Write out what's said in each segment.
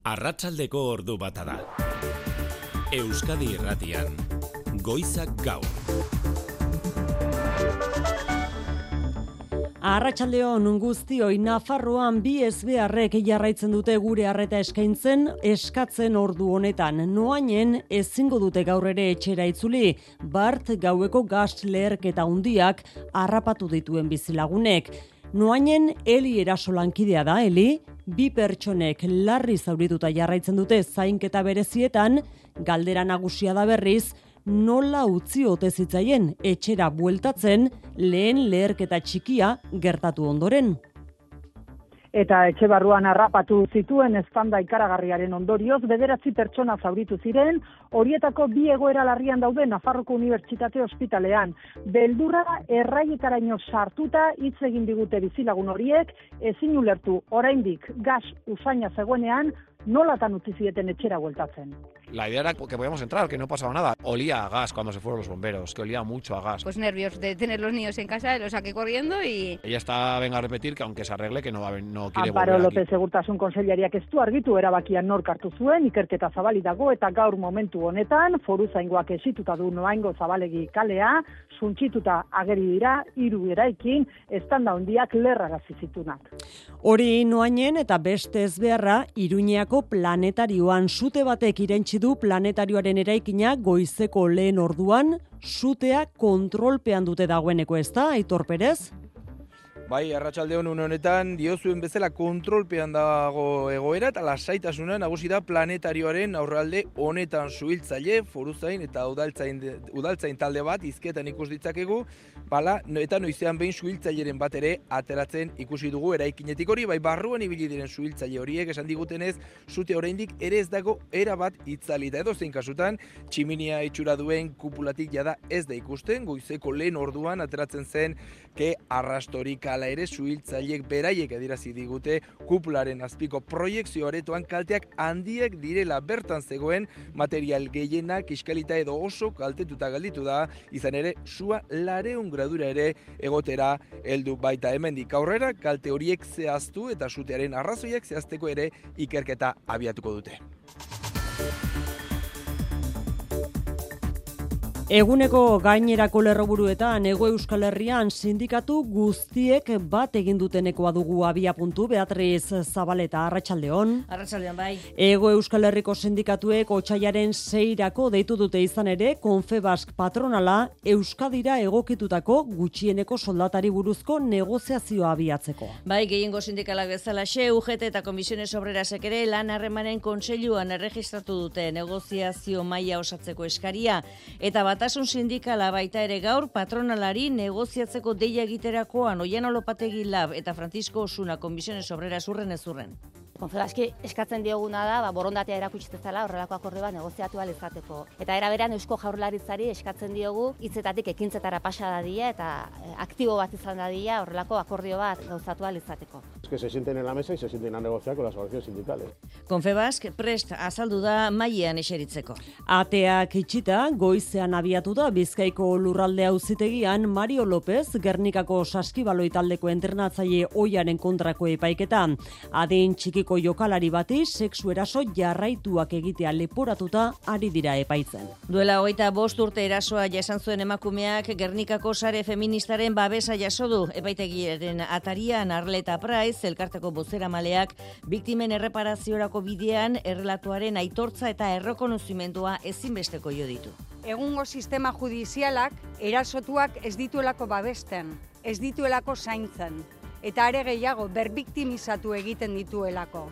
Arratsaldeko ordu bata da. Euskadi Irratian, Goizak Gaur. Arratsaldeon guztioi, Nafarroan bi ezbeharrek jarraitzen dute gure arreta eskatzen ordu honetan. Noainen ezingo dute gaur ere etxera itzuli, bart gaueko gas leherketa handiak harrapatu dituen bizilagunek. Noainen Eli eraso lankidea da, Eli? Bi pertsonek larri zaurituta jarraitzen dute zainketa berezietan, galdera nagusia da berriz, nola utzi ote zitzaien etxera bueltatzen lehen leherketa txikia gertatu ondoren. Eta etxe barruan harrapatu zituen eztanda ikaragarriaren ondorioz, 9 pertsona zauritu ziren, horietako 2 egoera larrian daude Nafarroko Unibertsitate Ospitalean. Beldurra erraiekaraino sartuta hitz egin digute bizilagun horiek, ezin ulertu oraindik gas usaina zegoenean, nolatan utzi zieten etxera bueltatzen. La idea era que podíamos entrar, que no pasaba nada. Olía a gas cuando se fueron los bomberos, que olía mucho a gas. Pues nervios de tener los niños en casa, los saqué corriendo y... Ella está, venga a repetir, que aunque se arregle, que no quiere Amparo volver López aquí. Segurtasun Kontseilariak ez du argitu erabakian nork hartu zuen, ikerketa zabali dago eta gaur momentu honetan, foruzaingoak esituta du Noaingo Zabalegi kalea, suntsituta ageri dira, 3 eraikin, eztanda handiak lerrarazi zitunak. Hori Noainen eta beste ezbeharra Iruñeako planetarioan sute batek irentsi du planetarioaren eraikina goizeko lehen orduan, sutea kontrolpean dute dagoeneko, ezta, Aitor Perez? Bai, arratsaldeon une honetan diozuen bezala kontrolpean dago egoera eta lasaitasuna nagusi da planetarioaren aurrealde honetan suhiltzaile, foruzain eta udaltzain talde bat hizketan ikus ditzakegu, eta noizean behin suhiltzaileren bat ere ateratzen ikusi dugu eraikinetik hori, bai barruan ibili diren suhiltzaile horiek esan digutenez, sute oraindik ere ez dago erabat itzalita. Edozein kasutan, tximinia itxura duen kupulatik jada ez da ikusten, goizeko lehen orduan ateratzen zen ke arrastorik ala ere suhiltzaileek beraiek adierazi digute kupularen azpiko proiekzio aretoan kalteak handiak direla, bertan zegoen material gehiena kiskalita edo oso kaltetuta gelditu da, izan ere sua 200 gradura ere egotera heldu baita. Hemendik aurrera kalte horiek zehaztu eta sutearen arrazoiak zehazteko ere ikerketa abiatuko dute. Eguneko gainerako lerroburuetan Hego Euskal Herrian sindikatu guztiek bat egin dutenekoa dugu abiapuntu. Beatriz Zabaleta, arratsaldeon. Arratsaldeon bai. Hego Euskal Herriko sindikatuek otsailaren 6 deitu dute izan ere Confebask patronala Euskadira egokitutako gutxieneko soldatari buruzko negoziazioa abiatzeko. Bai, gehiengo sindikalak bezalaxe, UGT eta Komisiones Obrerasek ere lan harremanen kontseiluan erregistratu dute negoziazio maila osatzeko eskaria, eta Batasun sindikala baita ere gaur patronalari negoziatzeko deia egiterakoan Oiano Lopategi Lab eta Francisco Osuna Komisiones Obreras urren ez urren. Confebaski eskatzen dioguna da, borondatea erakutsi dezala horrelako akordio bat negoziatu ahal izateko. Eta era berean Eusko Jaurlaritzari eskatzen diogu hitzetatik ekintzetara pasa dadila eta aktibo bat izan dadila horrelako akordio bat gauzatu ahal izateko. Es que se sienten en la mesa y se sienten a negociar con las organizaciones sindicales. Confebask prest azaldu da mailean eseritzeko. Ateak itxita, goizean abiatu da Bizkaiko lurralde auzitegian Mario López, Gernikako saskibaloi taldeko entrenatzaile ohiaren kontrako epaiketa. Adin txikiko jokalari bati sexu eraso jarraituak egitea leporatuta ari dira epaitzen. Duela 25 urte erasoa jasan zuen emakumeak Gernikako sare feministaren babesa jaso du. Epaitegiaren atarian Arleta Praiz, elkarteko bozeramaleak, biktimen erreparaziorako bidean errelatuaren aitortza eta errekonozimendua ezinbesteko jo ditu. Egungo sistema judizialak erasotuak ez dituelako babesten, ez dituelako zaintzen, eta are gehiago berbiktimizatu egiten dituelako.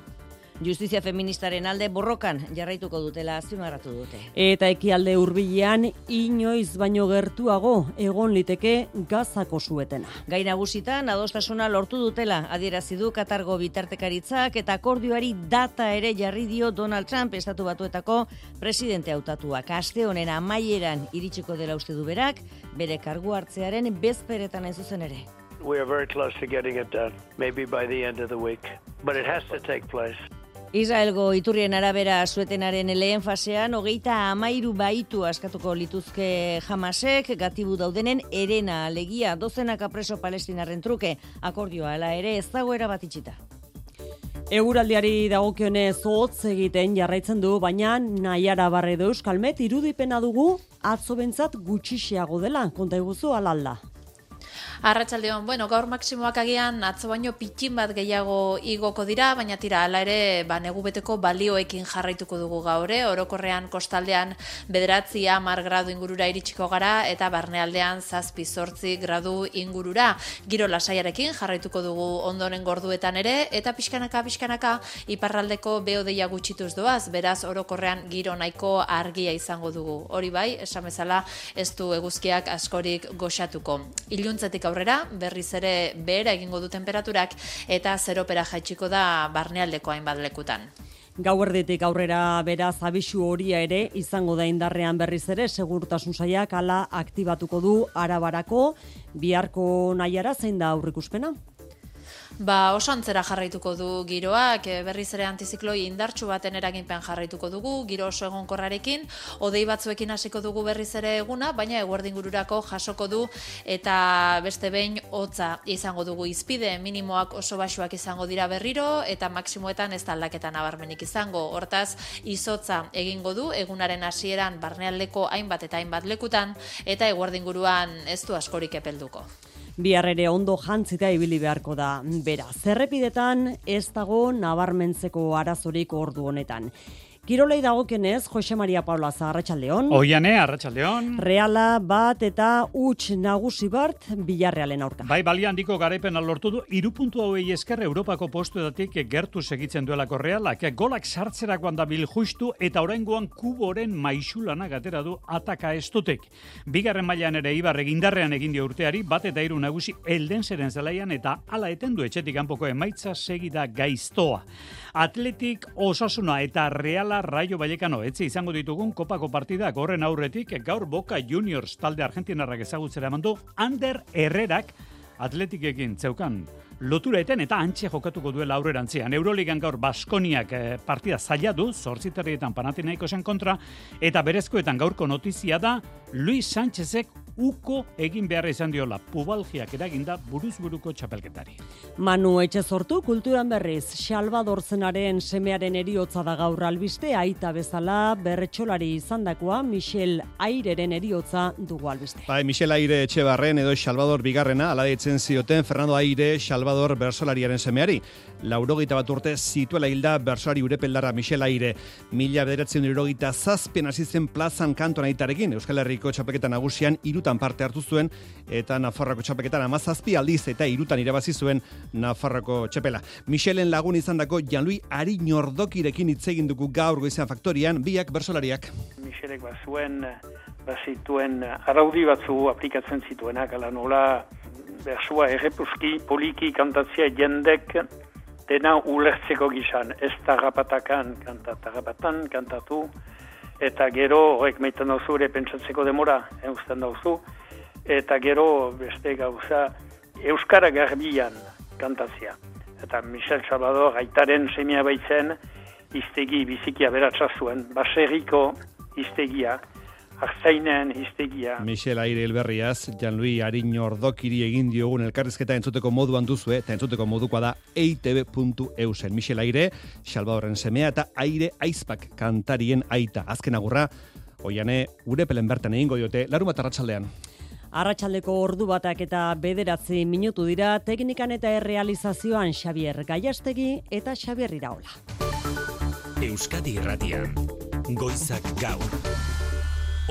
Justizia feministaren alde borrokan jarraituko dutela azpimarratu dute. Eta ekialde hurbilean inoiz baino gertuago egon liteke Gazako suetena. Gai nagusitan adostasuna lortu dutela adierazi du Katargo bitartekaritzak eta akordioari data ere jarri dio Donald Trump estatu batuetako presidente hautatuak. Aste honen amaieran iritsiko dela uste du berak, bere kargu hartzearen bezperetan hain zuzen ere. We are very close to getting it done, maybe by the end of the week, but it has to take place. Israelgo iturrien arabera suetenaren lehen fasean 33 baitu askatuko lituzke Hamasek, gatibu daudenen herena alegia, dozenaka preso palestinarren truke, akordioa hala ere ez dago erabat itxita. Eguraldiari dagokionez hotz egiten jarraitzen du, baina Naiara Barredo Euskalmet irudipena dugu atzo bentzat gutxixiago dela, konta iguzu alalda. Arratsaldeon, gaur maksimoak agian atzo baino pitxin bat gehiago igoko dira, baina tira, hala ere, negu beteko balioekin jarraituko dugu gaur, orokorrean kostaldean 9-10 gradu ingurura iritsiko gara, eta barnealdean 7-8 gradu ingurura. Giro lasaiarekin jarraituko dugu ondoren gorduetan ere, eta pixkanaka iparraldeko beodeia gutxituz doaz, beraz orokorrean giro nahiko argia izango dugu. Hori bai, esan bezala ez du eguzkiak askorik goxatuko. Iluntzetik aurrera, berriz ere behera egingo du temperaturak eta zeropera jaitsiko da barnealdeko hainbat lekutan. Gauerditik aurrera beraz abisu horia ere izango da indarrean berriz ere segurtasun sailak hala aktibatuko du Arabarako. Biharko Naiara zein da aurrikuspena? Oso antzera jarraituko du giroak, berriz ere antizikloi indartsu baten eraginpen jarraituko dugu, giro oso egonkorrarekin, hodei batzuekin hasiko dugu berriz ere eguna, baina eguerdi ingururako jasoko du eta beste behin hotza izango dugu izpide, minimoak oso baxuak izango dira berriro eta maksimoetan ez da aldaketa nabarmenik izango. Hortaz, izotza egingo du egunaren hasieran barnealdeko hainbat eta hainbat lekutan eta eguerdi inguruan ez du askorik epelduko. Bihar ere ondo jantzita ibili beharko da bera. Zerrepidetan ez dago nabarmentzeko arazorik ordu honetan. Kirolei dagokenez, Jose Maria Paulaza, arratsaldeon. Oiane, arratsaldeon. Reala bat eta huts nagusi bart Villarrealen aurka. Bai, balia handiko garaipena lortu du, 3 puntu hauei esker Europako postuetatik gertu segitzen duelako Realak. Golak sartzerakoan dabil justu eta oraingoan Kuboren maisulanak atera du ataka estutek. Bigarren mailan ere Ibar egindarrean egin dio urteari, bat eta 3 nagusi Eldenseren zelaian eta hala eten du etxetik kanpoko emaitza segida gaiztoa. Atletik, Osasuna eta Reala Rayo Vallecano etzi izango ditugun kopako partidak horren aurretik gaur Boca Juniors talde argentinarrak ezagutzera emandu Ander Herrerak Atletikekin zeukan lotura eten eta antxe jokatuko duela aurrerantzean. Euroligan gaur Baskoniak partida zaila du, 8:00 Panathinaikosen kontra, eta berezkoetan gaurko notizia da Luis Sánchezek uko egin beharra izan diola pubalgiak eraginda buruzburuko txapelketari. Manu Etxezortu kulturan berriz, Salvador Zenaren semearen eriotza da gaur albiste, aita bezala berretxolari izandakoa Michel Aireren eriotza dugu albiste. Bai, Michel Aire Etxebarren edo Salvador Bigarrena, ala deitzen zioten Fernando Aire Salvador bersolariaren semeari. 81 urte zituela hilda bersolari urepeldarra Michel Aire. 1997 hasi zen plazan kanton aitarekin, Euskal Herriko txapelketa nagusian 3 parte hartu zuen, eta Nafarroako txapelketan 17 aldiz eta 3 irabazi zuen Nafarroako txapela. Michelen lagun izandako Jean-Louis Ariñordokirekin hitz egin dugu gaur goizean faktorian, biak bersolariak. Michelek bazituen araudi batzu aplikatzen zituenak, ala nola bersua errepuski poliki kantatzia jendek dena ulertzeko gizan, ez tarrapatakan tarrapatan kantatu, eta gero horrek meiten dauzu ere pentsatzeko demora, eusten dauzu, eta gero beste gauza euskara garbian kantatzia. Eta Michel Salvador aitaren semia baitzen iztegi bizikia beratza zuen, baserriko iztegia, Artzainen hiztegia. Michel Aire elberriaz, Jean-Louis Ariñordokiri egin diogun elkarrizketa entzuteko moduan duzue, eta entzuteko modukoa da eitb.eusen. Michel Aire, Salvadorren semea eta Aire Aizpak kantarien aita. Azken agurra, Oiane, urepelen bertan egingo diote, larunbat arratsaldean. Arratsaldeko ordu batak eta 9 minutu dira, teknikan eta errealizazioan Xabier Gaiastegi eta Xabier Iraola. Euskadi Irratian, Goizak Gaur.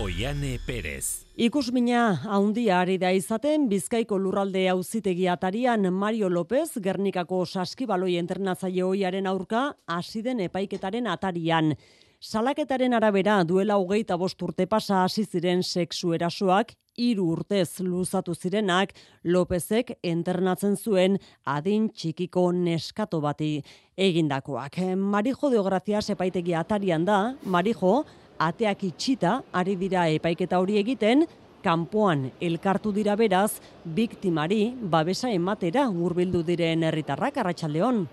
Oiane Perez. Ikusmina handia ari da izaten Bizkaiko lurralde auzitegi atarian Mario López Gernikako saskibaloi entrenatzaile ohiaren aurka hasi den epaiketaren atarian. Salaketaren arabera duela 25 urte pasa hasi ziren sexu erasoak, 3 urtez luzatu zirenak Lópezek internatzen zuen adin txikiko neskato bati egindakoak. Marijo Deogracias epaitegi atarian da, Marijo ateak itxita ari dira epaiketa hori egiten, kanpoan elkartu dira beraz, biktimari babesa ematera hurbildu diren herritarrak. Arratsaldeon.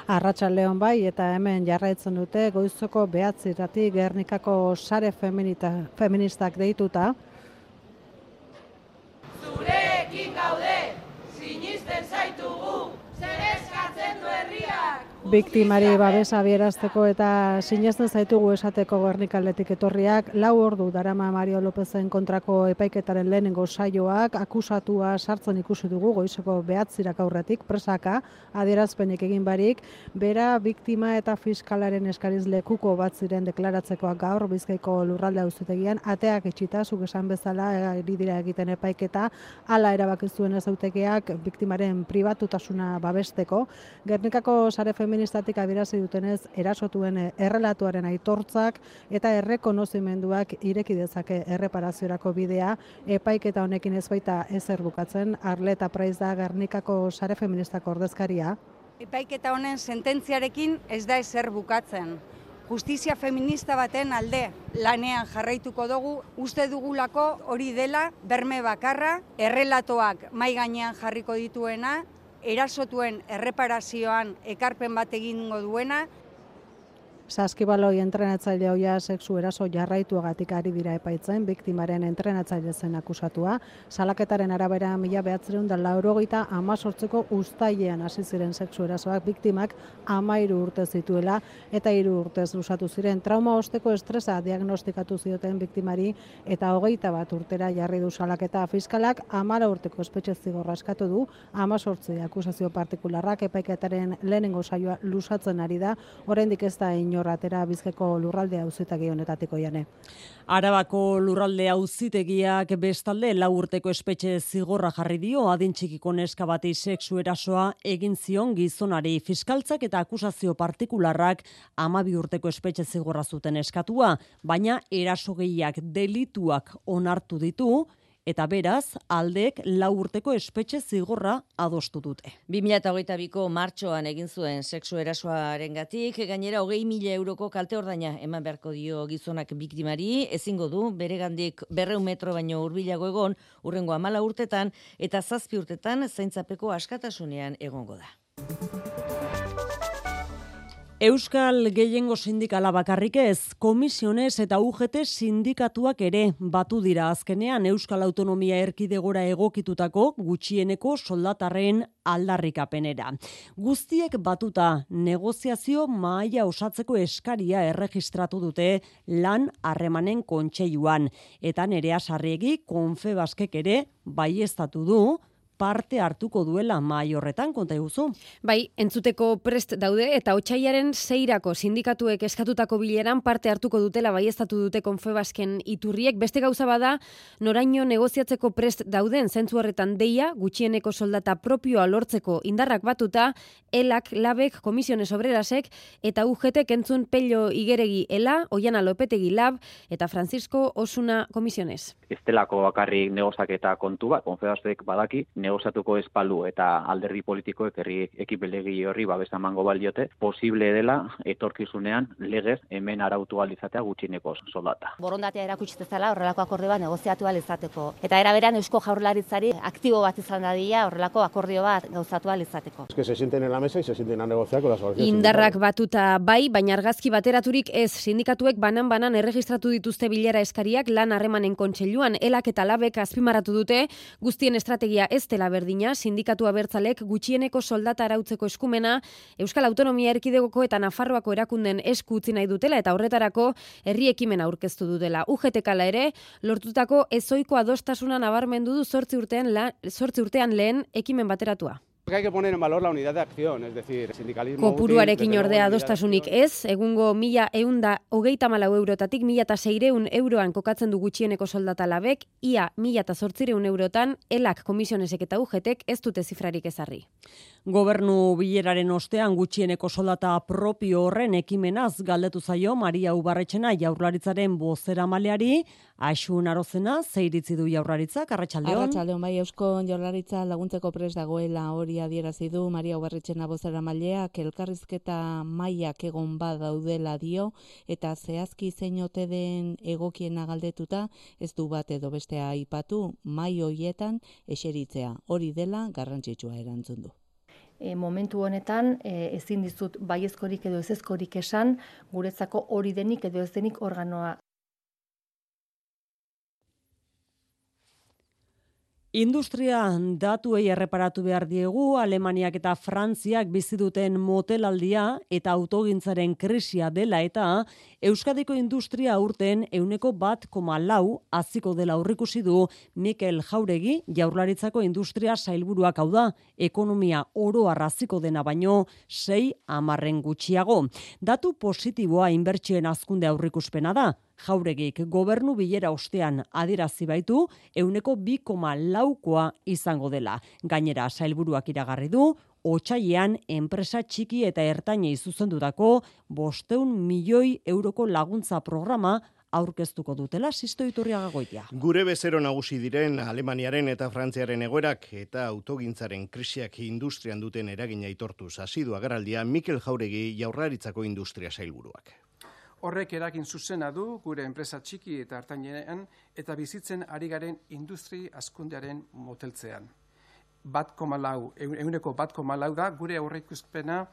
Arratsaldeon bai, eta hemen jarraitzen dute goizoko 9:00 Gernikako sare feministak deituta. Zurekin gaude, sinisten zaitugu, zer eskatzen du herriak, biktimari babesa bierazteko eta sinesten zaitugu esateko Gernikaldetik etorriak, 4 ordu darama Mario Lopezen kontrako epaiketaren lehenengo saioak, akusatua sartzen ikusi dugu goizeko 9 aurretik presaka, adierazpenik egin barik, bera biktima eta fiskalaren eskariz lekuko bat ziren deklaratzekoak gaur Bizkaiko lurralde auzitegian, ateak itxita, zuk esan bezala ari dira egiten epaiketa, hala erabaki zuen ezagutegiak biktimaren pribatutasuna babesteko. Gernikako sare feministatik adierazi dutenez, erasotuen errelatuaren aitortzak eta errekonozimenduak ireki dezake erreparaziorako bidea, epaiketa honekin ez baita ezer bukatzen. Arleta Praiz da Gernikako sare feministako ordezkaria. Epaiketa honen sententziarekin ez da ezer bukatzen. Justizia feminista baten alde lanean jarraituko dugu, uste dugulako hori dela berme bakarra, errelatoak mai gainean jarriko dituena, erasotuen erreparazioan ekarpen bat egingo duena. Saskibaloi entrenatzaile hoia sexu eraso jarraituagatik ari dira epaitzen, biktimaren entrenatzaile zen akusatua. Salaketaren arabera 1988ko uztailean hasi ziren sexu erasoak, biktimak 13 urte zituela eta 3 urtez luzatu ziren. Trauma osteko estresa diagnostikatu zioten biktimari eta 21 urtera jarri du salaketa. Fiskalak 14 urteko espetxe zigorra eskatu du, 18 akusazio partikularrak. Epaiketaren lehenengo saioa luzatzen ari da, oraindik ez da atera Bizkaiko lurralde auzitegi honetatiko jane. Arabako lurralde auzitegiak bestalde 4 urteko espetxe zigorra jarri dio adin txikiko neska bati sexu erasoa egin zion gizonari. Fiskaltzak eta akusazio partikularrak 12 urteko espetxe zigorra zuten eskatua, baina erasogeiak delituak onartu ditu, eta beraz, aldeek 4 urteko espetxe zigorra adostu dute. 2022ko martxoan egin zuen sexu erasoarengatik, gainera 20.000 euroko kalte ordaina eman beharko dio gizonak biktimari, ezingo du beregandik 200 metro baino hurbilago egon, hurrengo 14 urtetan eta 7 urtetan zaintzapeko askatasunean egongo da. Euskal gehiengo sindikala bakarrik ez, Komisiones eta UGT sindikatuak ere batu dira azkenean Euskal Autonomia Erkidegora egokitutako gutxieneko soldatarren aldarrikapenera. Guztiek batuta negoziazio mahaia osatzeko eskaria erregistratu dute lan harremanen kontseiluan, eta Nerea Sarriegi Confebaskek ere baieztatu du parte hartuko duela mahai horretan, konta iguzu. Bai, entzuteko prest daude eta otsailaren 6irako sindikatuek eskatutako bileran parte hartuko dutela baieztatu dute Confebasken iturriek. Beste gauza bada, noraino negoziatzeko prest dauden zentzu horretan deia, gutxieneko soldata propioa lortzeko indarrak batuta, ELAK, LABek, Komisiones Obrerasek eta UGTek entzun Pello Igeregi ELA, Oiana Lopetegi LAB eta Francisco Osuna Komisiones. Ez delako bakarrik negozaketa kontu bat, Confebasek badaki, negoziatuko espalu eta alderdi politikoek herri ekipelegi horri babesa emango baliote, posible dela etorkizunean legez hemen arautu ahal izatea gutxieneko soldata. Borondatea erakutsi dezala horrelako akordio bat negoziatu ahal izateko. Eta era berean Eusko Jaurlaritzari aktibo bat izan dadila horrelako akordio bat gauzatu ahal izateko. Es que se sienten en la mesa y se sienten a negociar con las organizaciones. Indarrak batuta bai, baina argazki bateraturik ez, sindikatuek banan erregistratu dituzte bilera eskariak lan harremanen kontseiluan, ELAK eta LABek azpimarratu dute, guztien estrategia ez dela berdina, sindikatu abertzalek gutxieneko soldata arautzeko eskumena Euskal Autonomia Erkidegoko eta Nafarroako erakunden esku utzi nahi dutela eta horretarako herri ekimena aurkeztu dutela. UGTK-la ere lortutako ezoiko adostasuna nabarmendu du 8 urtean lehen ekimen bateratua. Hay que poner en valor la unidad de acción, es decir, sindicalismo... Kopuruarekin ordea adostasunik ez, egungo 1.134 eurotatik 1.600 euroan kokatzen du gutxieneko soldata LABek, ia 1.800 eurotan, ELAK, Komisionesek eta UGTek ez dute zifrarik ezarri. Gobernu bileraren ostean gutxieneko soldata propio horren ekimenaz galdetu zaio Maria Ubarretxena Jaurlaritzaren bozeramaileari, Asun Arozena, ze iritzi du Jaurlaritzak, arratsaldeon. Arratsaldeon, bai, Eusko Jaurlaritza laguntzeko prest dagoela hori adierazi du Maria Ubarretxena bozeramaileak, elkarrizketa mailak egon badaudela dio eta zehazki zein ote den egokiena galdetuta ez du bat edo bestea aipatu, mai hoietan eseritzea. Hori dela garrantzitsua erantzun du. Momentu honetan ezin dizut baiezkorik edo ezezkorik esan, guretzako hori denik edo ez denik organoa. Industria datuei erreparatu behar diegu, Alemaniak eta Frantziak bizi duten motelaldia eta autogintzaren krisia dela eta Euskadiko industria aurten 1,4 haziko dela aurreikusi du Mikel Jauregi, Jaurlaritzako industria sailburuak, hau da, ekonomia oro haziko dena baino 6 gutxiago. Datu positiboa inbertsioen hazkunde aurreikuspena da. Jauregik gobernu bilera ostean adierazi baitu 2,4koa izango dela. Gainera, sailburuak iragarri du, otsailean enpresa txiki eta ertainei zuzendutako 500 milioi euroko laguntza programa aurkeztuko dutela Sisto Iturriaga Goitia. Gure bezero nagusi diren Alemaniaren eta Frantziaren egoerak eta autogintzaren krisiak industrian duten eragina aitortuz hasi du agerraldia Mikel Jauregi, Jaurlaritzako industria sailburuak. Horrek eragin zuzena du gure enpresa txiki eta ertainean eta bizitzen ari garen industri hazkundearen moteltzean. 1,4 da gure aurreikuspena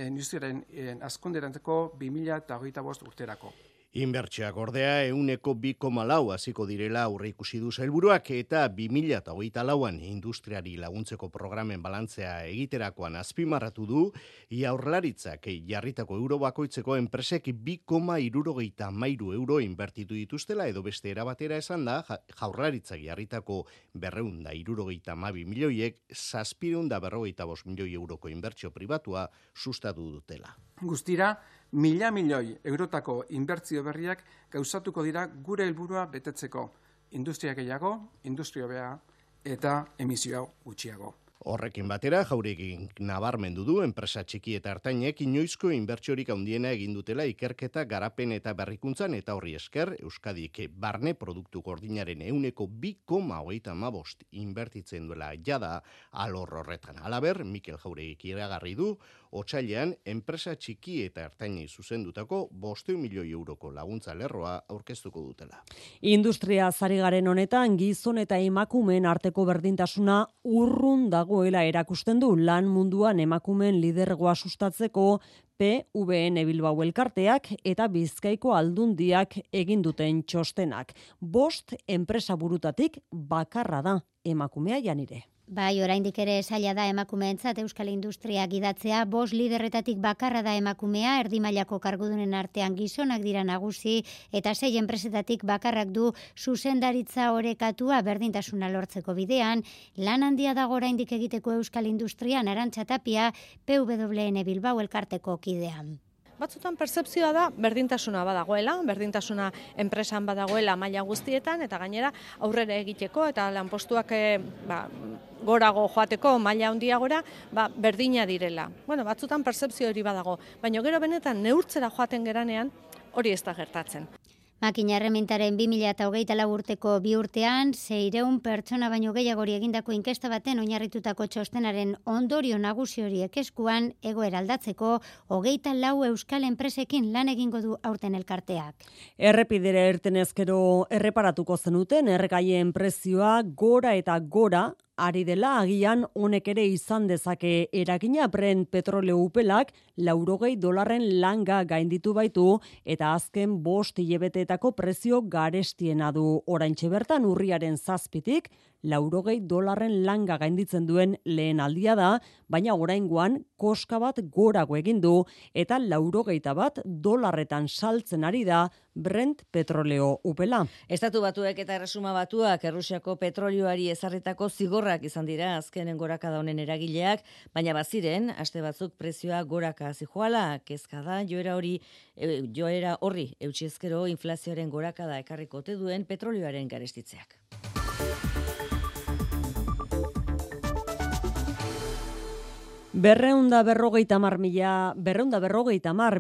industriaren hazkunderanteko 2025 urterako. Inbertsioak ordea 2,4 hasiko direla aurreikusi du sailburuak eta 2024an industriari laguntzeko programen balantzea egiterakoan azpimarratu du Jaurlaritzak jarritako euro bakoitzeko enpresek 2,73 euro inbertitu dituztela edo beste erabatera esan da Jaurlaritzak jarritako 272 milioiek 745 milioi euroko inbertsio pribatua sustatu dutela. Guztira, 1.000 milioi eurotako inbertsio berriak gauzatuko dira gure helburua betetzeko. Industria gehiago, industria hobea eta emisioa gutxiago. Horrekin batera, Jauregik nabarmendu du enpresa txiki eta ertainek inoizko inbertsiorik handiena egin dutela ikerketa, garapen eta berrikuntzan eta horri esker Euskadik barne produktu gordinaren 2,35 inbertitzen duela jada alor horretan. Halaber, Mikel Jauregik iragarri du otsailean enpresa txiki eta ertainei zuzendutako 500 milioi euroko laguntza lerroa aurkeztuko dutela. Industria zari garen honetan gizon eta emakumeen arteko berdintasuna urrun dagoela erakusten du lan munduan emakumeen lidergoa sustatzeko PVN Bilbao elkarteak eta Bizkaiko Aldundiak egin duten txostenak. 5 enpresa burutatik bakarra da emakumea Janire. Bai, oraindik ere zaila da emakumeentzat euskal industria gidatzea, 5 liderretatik bakarra da emakumea, erdi mailako kargudunen artean gizonak dira nagusi, eta 6 enpresetatik bakarrak du zuzendaritza orekatua berdintasuna lortzeko bidean, lan handia dago oraindik egiteko euskal industrian, Arantxa Tapia, PWN Bilbao elkarteko kidean. Batzutan pertzepzioa da berdintasuna badagoela, berdintasuna enpresan badagoela maila guztietan eta gainera aurrera egiteko eta lanpostuak gorago joateko maila handiagora berdina direla. Batzutan pertzepzio hori badago, baina gero benetan neurtzera joaten geranean hori ez da gertatzen. Makina erremintaren 2024 urteko 2 urtean, 600 pertsona baino gehiagori egindako inkesta baten oinarritutako txostenaren ondorio nagusi horiek eskuan egoera aldatzeko 24 euskal enpresekin lan egingo du aurten elkarteak. Errepidera irtenezkero erreparatuko zenuten errekaien prezioa gora eta gora ari dela, agian honek ere izan dezake eragina. Brent petroleo upelak $80 langa gainditu baitu eta azken 5 hilabeteetako prezio garestiena du. Oraintxe bertan urriaren 7tik $80 langa gainditzen duen lehen aldia da, baina oraingoan koska bat gorago egin du eta $81 saltzen ari da Brent petroleo upela. Estatu Batuek eta Erresuma Batuak Errusiako petrolioari ezarritako zigorrak izan dira azkenen gorakada honen eragileak, baina baziren aste batzuk prezioa goraka zijoala, kezka da joera horri eutsi ezkero inflazioaren gorakada ekarriko ote duen petrolioaren garestitzeak. Berreunda berrogeita mar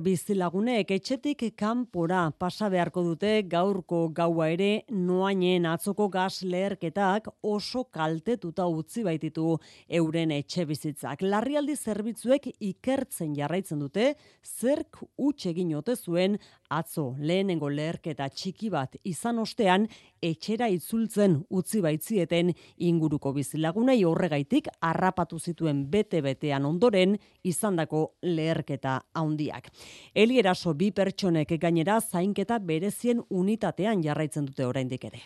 bizilagunek etxetik kanpora pasa beharko dute gaurko gaua ere noainen atzoko gas leherketak oso kaltetuta utzi baititu euren etxe bizitzak. Larrialdi zerbitzuek ikertzen jarraitzen dute zerk huts egin ote zuen atzo lehenengo leherketa txiki bat izan ostean etxera itzultzen utzi baitzieten inguruko bizilagunei horregaitik harrapatu zituen bete-betean ondoren izandako leherketa handiak. Elieraso 2 pertsonek gainera zainketa berezien unitatean jarraitzen dute oraindik ere.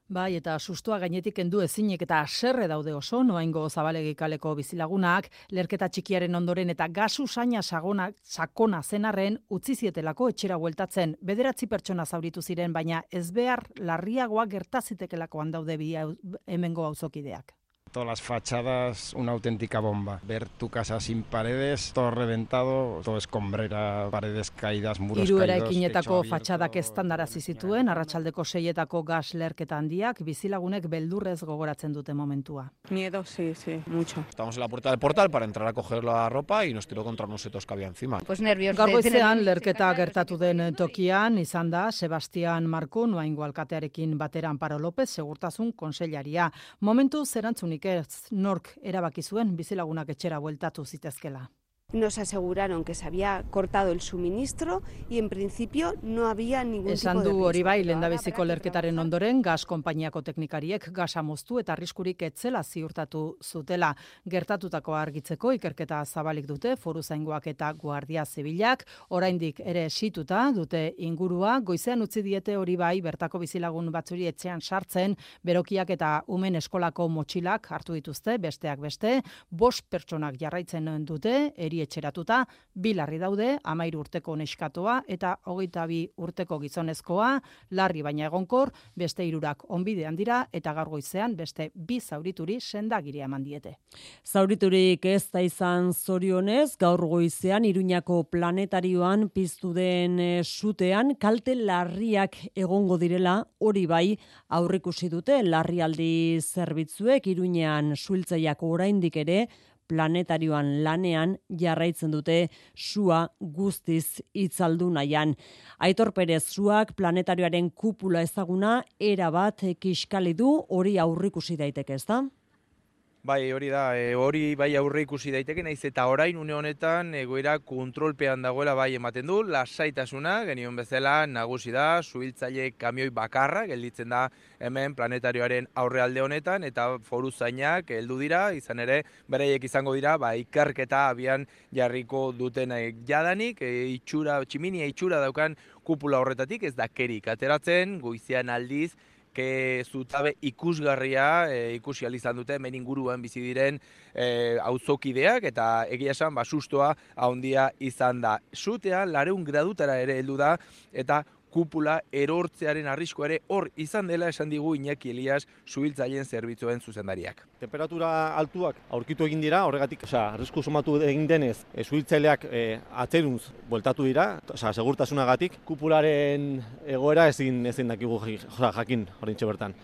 Bai, eta sustua gainetik kendu ezinik eta haserre daude oso, Noaingo Zabalegi kaleko bizilagunak, lerketa txikiaren ondoren eta gasu saina sakona zenarren utzi zietelako etxera bueltatzen. 9 pertsona zauritu ziren, baina ezbehar larriagoa gertazitekelako daude bi hemengo auzokideak. Todas las fachadas, una auténtica bomba. Ver tu casa sin paredes, todo reventado, todo escombrera, paredes caídas, muros caídos. Hiru eraikinetako fatxadak estandarazi zituen, arratsaldeko 6etako gas lerketa handiak, bizilagunek beldurrez gogoratzen dute momentua. Miedo, sí, mucho. Estamos en la puerta del portal para entrar a coger la ropa y nos tiró contra unos setos que había encima. Pues nervios. Gaur goizean lerketa gertatu den tokian izan da Sebastián Marko, Noaingo alkatearekin batera Amparo López, segurtasun kontseilaria. Momentu zerantzunik ez, nork erabaki zuen bizilagunak etxera bueltatu zitezkela. Nos aseguraron que se había cortado el suministro y en principio no había ningún tipo de riesgo. Esan du hori bai, lehendabiziko lerketaren ondoren, gas konpainiako teknikariek gasa moztu eta arriskurik etzela ziurtatu zutela. Gertatutakoa argitzeko ikerketa zabalik dute Foruzaingoak eta Guardia Zibilak, oraindik ere esituta dute ingurua, goizean utzi diete hori bai, bertako bizilagun batzuri etxean sartzen, berokiak eta umen eskolako motxilak hartu dituzte, besteak beste, 5 pertsonak jarraitzen dute, etxeratuta, 2 larri daude, 13 urteko neskatoa eta 22 urteko gizonezkoa, larri baina egonkor, beste 3 onbidean dira eta gaur goizean beste 2 zaurituri sendagiria eman diete. Zauriturik ez da izan zorionez, gaur goizean Iruñako planetarioan piztu den sutean kalte larriak egongo direla, hori bai aurrikusi dute larrialdi zerbitzuek Iruñean suhiltzaileak oraindik ere planetarioan lanean jarraitzen dute sua guztiz itzaldu nahian. Aitor Perez, suak planetarioaren kupula ezaguna erabat kiskali du, hori aurrikusi daiteke, ezta? Bai, hori da, hori bai aurre ikusi daiteke, naiz eta orain une honetan egoera kontrolpean dagoela bai ematen du, lasaitasuna, genion bezala nagusi da, suhiltzaile kamioi bakarra, gelditzen da hemen planetarioaren aurrealde honetan, eta foruzainak heldu dira, izan ere, beraiek izango dira, ikerketa abian jarriko duten jadanik, tximinia itxura daukan kupula horretatik, ez da kerik ateratzen, goizean aldiz, zutabe ikusgarria ikusi izan dute hemen inguruan bizi diren auzokideak eta egia esan sustoa handia izan da. Sutea 200 gradutara ere heldu da eta kupula erortzearen arriskua ere hor izan dela esan digu Iñaki Elias suhiltzaileen zerbitzuen zuzendariak. Temperatura altuak aurkitu egin dira, horregatik arrisku somatu egin denez, suhiltzaileak atzerunz bueltatu dira, segurtasunagatik, kupularen egoera ezin dakigu jakin horintxe bertan.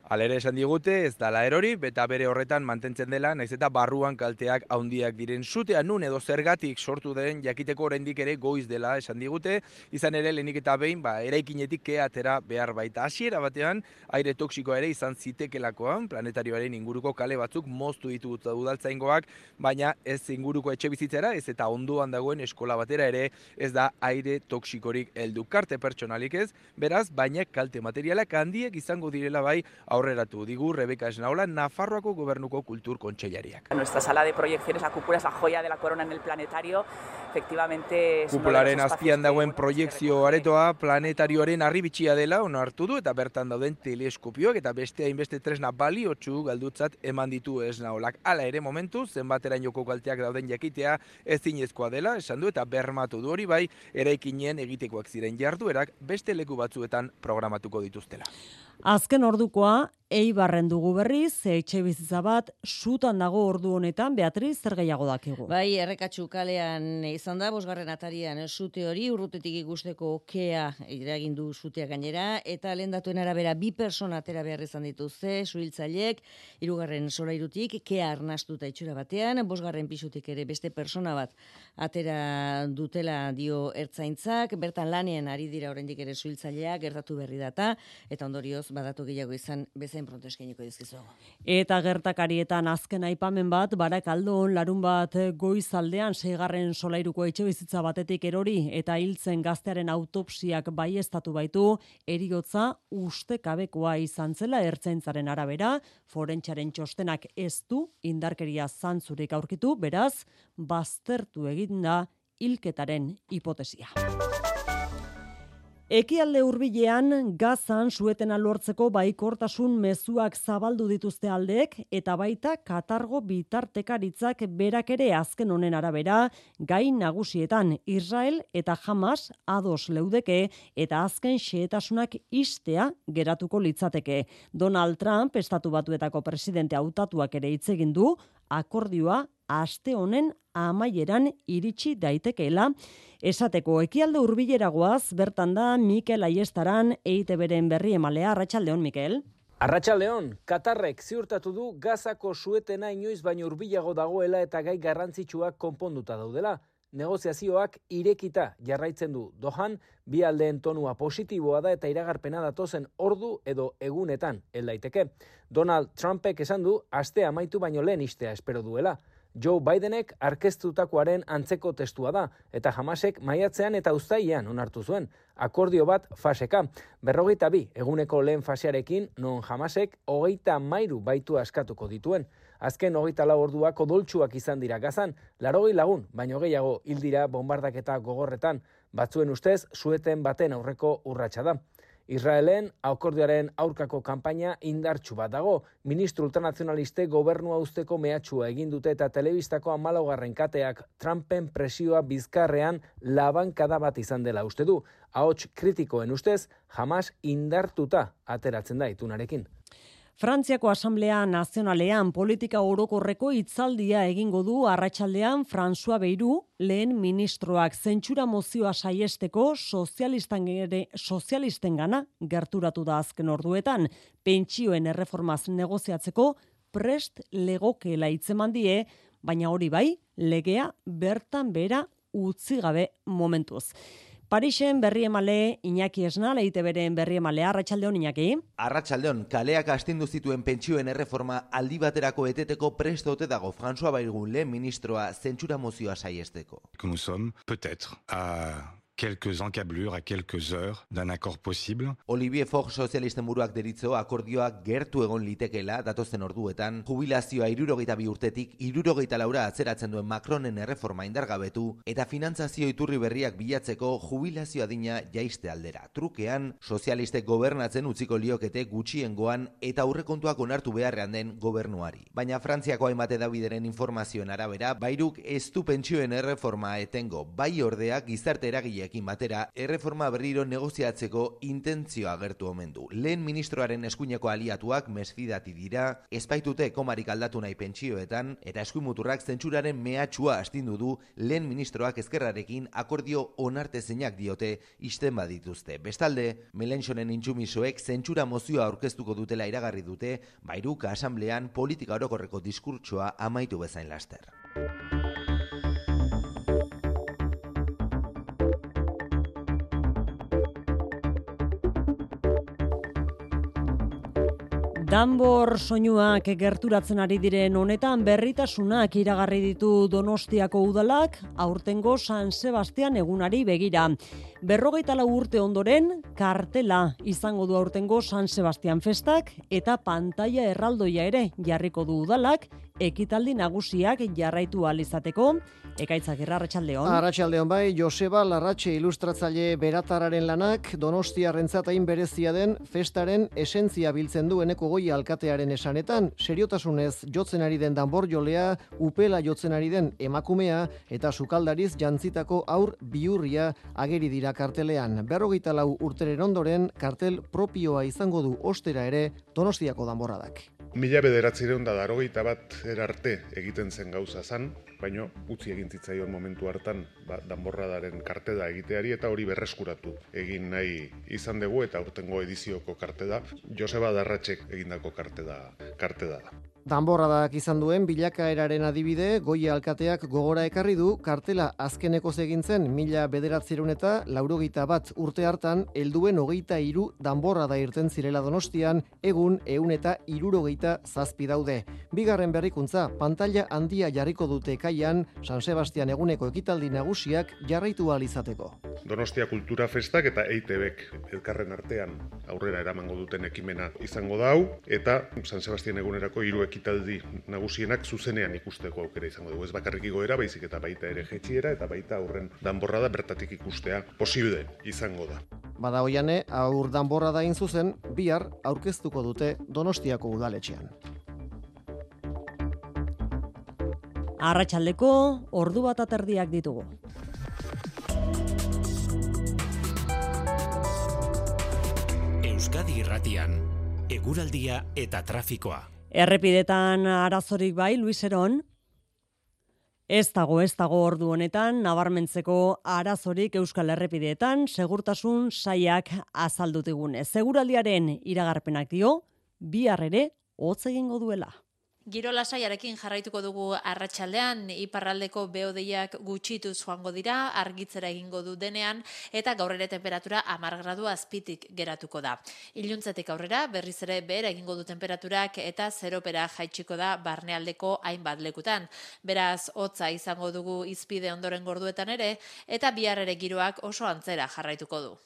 Halere esan digute, ez dala erori, eta bere horretan mantentzen dela, naiz eta barruan kalteak handiak diren. Sutea nun edo zergatik sortu den jakiteko oraindik ere goiz dela esan digute, izan ere lehenik eta behin eraikinetik atera behar baita. Hasiera batean, aire toksikoa ere izan zitekelakoan, planetarioaren inguruko kale batzuk moztu ditu udaltzaingoak, baina ez inguruko etxe bizitzera, ez eta ondoan dagoen eskola batera ere ez da aire toksikorik heldu. Karte pertsonalik ez, beraz, baina kalte materialak handiek izango direla bai aurreratu digu Rebeka Esnaola, Nafarroako Gobernuko Kultur Kontseilariak. Nuestra sala de proyecciones, la cúpula es la joya de la corona en el planetario. Efectivamente, kupularen azpian dagoen proiekzio aretoa planetarioaren arribitxia dela onartu du eta bertan dauden teleskopioak eta beste hainbeste tresna baliotsu galdutzat eman ditu Esnaolak. Hala ere momentu zenbaterainoko kalteak dauden jakitea ezinezkoa dela esan du eta bermatu du hori bai eraikinen egitekoak ziren jarduerak beste leku batzuetan programatuko dituztela. Azken ordukoa, Eibarren dugu berriz, etxe bizitza bat, sutan dago ordu honetan, Beatriz, zer gehiago dakigu? Bai, Errekatxu kalean izan da, 5. atarian sute hori, urrutetik ikusteko kea eragin du sutea gainera, eta lehen datuen arabera 2 persona atera behar izan dituzte, suhiltzaileek, 3. solairutik, kea arnastuta itxura batean, 5. pisutik ere beste persona bat atera dutela dio ertzaintzak, bertan lanean ari dira oraindik ere suhiltzaileak, gertatu berri data, eta ondorioz badatu gehiago izan bezain pronto eskainiko dizkizuegu. Eta gertakarietan azken aipamen bat, Barakaldon larun bat goizaldean 6. solairuko etxebizitza batetik erori eta hiltzen gaztearen autopsiak baieztatu baitu, heriotza ustekabekoa izan zela ertzaintzaren arabera, forentsaren txostenak ez du indarkeria zantzurik aurkitu, beraz, baztertu egin da hilketaren hipotesia. Ekialde hurbilean Gazan suetena lortzeko baikortasun mezuak zabaldu dituzte aldeek eta baita Katargo bitartekaritzak berak ere azken honen arabera gai nagusietan Israel eta Hamas ados leudeke eta azken xehetasunak istea geratuko litzateke. Donald Trump Estatu Batuetako presidente hautatuak ere hitz egin du akordioa aste honen amaieran iritsi daitekeela. Esateko ekialde hurbileragoaz bertan da Mikel Aiestaran EITBren berri emalea. Arratsaldeon, Mikel. Arratsaldeon, Katarrek ziurtatu du Gazako suetena inoiz baino hurbilago dagoela eta gai garrantzitsuak konponduta daudela. Negoziazioak irekita jarraitzen du Dohan, bi aldeen tonua positiboa da eta iragarpena datozen ordu edo egunetan hel daiteke. Donald Trumpek esan du astea amaitu baino lehen istea espero duela. Joe Bidenek aurkeztutakoaren antzeko testua da, eta Hamasek maiatzean eta uztailean onartu zuen. Akordio bat faseka. 42 eguneko lehen fasearekin, non Hamasek 33 baitu askatuko dituen. Azken 24 orduak odoltsuak izan dira Gazan, 80 lagun, baino gehiago hil dira bombardaketa gogorretan. Batzuen ustez, sueten baten aurreko urratsa da. Israelen akordioaren aurkako kanpaina indartsu bat dago. Ministro ultranazionaliste gobernua uzteko mehatxua egin dute eta telebistako 14. kateak Trumpen presioa bizkarrean labankada bat izan dela uste du. Ahots kritikoen ustez, Hamas indartuta ateratzen da itunarekin. Frantziako Asamblea Nazionalean politika orokorreko hitzaldia egingo du arratsaldean François Bayrou, lehen ministroak zentsura mozioa saiesteko sozialistengana gerturatu da azken orduetan, pentsioen erreformaz negoziatzeko prest legokeela hitzeman die, baina hori bai, legea bertan bera utzi gabe momentuz. Parisen berri emale Iñaki Esnal, EITBren berri emalea. Arratsaldeon, Iñaki. Arratsaldeon, kaleak astindu zituen pentsioen erreforma aldi baterako eteteko prest ote dago François Bayrou lehen ministroa zentsura mozioa saiesteko. Nous sommes peut-être à quelques encablures, à quelques heures d'un accord possible. Olivier Faure sozialisten buruak deritzo akordioa gertu egon litekeela datozen orduetan, jubilazioa 62 urtetik 64 atzeratzen duen Macronen erreforma indargabetu eta finantzazio iturri berriak bilatzeko jubilazio adina jaiste aldera. Trukean, sozialistek gobernatzen utziko liokete gutxiengoan eta aurrekontuak onartu beharrean den gobernuari. Baina Frantziako hainbat hedabideren informazioen arabera, Bayruk ez du pentsioen erreforma etengo, bai ordea gizarte eragileekin batera erreforma berriro negoziatzeko intentzioa agertu omen du. Lehen ministroaren eskuineko aliatuak mesfidati dira, ezpaitute komarik aldatu nahi pentsioetan eta eskuimuturrak zentsuraren mehatxua astindu du lehen ministroak ezkerrarekin akordio onartezinak diote isten badituzte. Bestalde, Mélenchonen intsumisoek zentsura mozioa aurkeztuko dutela iragarri dute, Bayruk asamblean politika orokorreko diskurtsoa amaitu bezain laster. Danbor soinuak gerturatzen ari diren honetan berritasunak iragarri ditu Donostiako udalak aurtengo San Sebastian egunari begira. 54 urte ondoren kartela izango du aurtengo San Sebastian festak eta pantaila erraldoia ere jarriko du udalak ekitaldi nagusiak jarraitu ahal izateko. Ekaitzak arratsaldeon. Arratsaldeon bai, Joseba Larratxe ilustratzaile beratararen lanak Donostiarrentzat hain berezia den festaren esentzia biltzen du Eneko Goi alkatearen esanetan, seriotasunez jotzen ari den danborjolea, upela jotzen ari den emakumea eta sukaldariz jantzitako aur bihurria ageri dira kartelean. 54 urteren ondoren kartel propioa izango du ostera ere Donostiako danborradak. 1981 erarte egiten zen gauza zan, baina utzi egin zitzaion momentu hartan danborradaren karteda egiteari eta hori berreskuratu egin nahi izan dugu eta aurtengo edizioko karteda Joseba Larratxek egindako karteda da. Danborradak izan duen bilakaeraren adibide, Goi alkateak gogora ekarri du kartela azkeneko egin zen 1981 urte hartan helduen 23 danborrada irten zirela Donostian, egun 167 daude. Bigarren berrikuntza, pantaila handia jarriko dute ekaian San Sebastian eguneko ekitaldi nagusiak jarraitu ahal izateko. Donostia Kultura Festak eta EITBek elkarren artean aurrera eramango duten ekimena izango da hau eta San Sebastian egunerako 3 ekitaldi nagusienak zuzenean ikusteko aukera izango dugu. Ez bakarrik igoera, baizik eta baita ere jetxiera eta baita aurren danborrada bertatik ikustea posible izango da. Bada oiane, aur danborrada hain zuzen, bihar aurkeztuko dute Donostiako udaletxean. Arratsaldeko 1:30 ditugu. Euskadi Irratian, eguraldia eta trafikoa. Errepidetan arazorik bai, Luis Eron? Ez dago ordu honetan, nabarmentzeko arazorik Euskal Errepideetan, segurtasun saiak azaldutigunez. Seguraldiaren iragarpenak dio, bihar ere hotz egingo duela. Giro lasaiarekin jarraituko dugu arratsaldean, iparraldeko behodeiak gutxituz joango dira, argitzera egingo du denean, eta gaur ere temperatura 10 gradu azpitik geratuko da. Iluntzetik aurrera, berriz ere behera egingo du temperaturak eta zeropera jaitsiko da barnealdeko hainbat lekutan. Beraz, hotza izango dugu izpide ondoren gorduetan ere, eta bihar ere giroak oso antzera jarraituko du.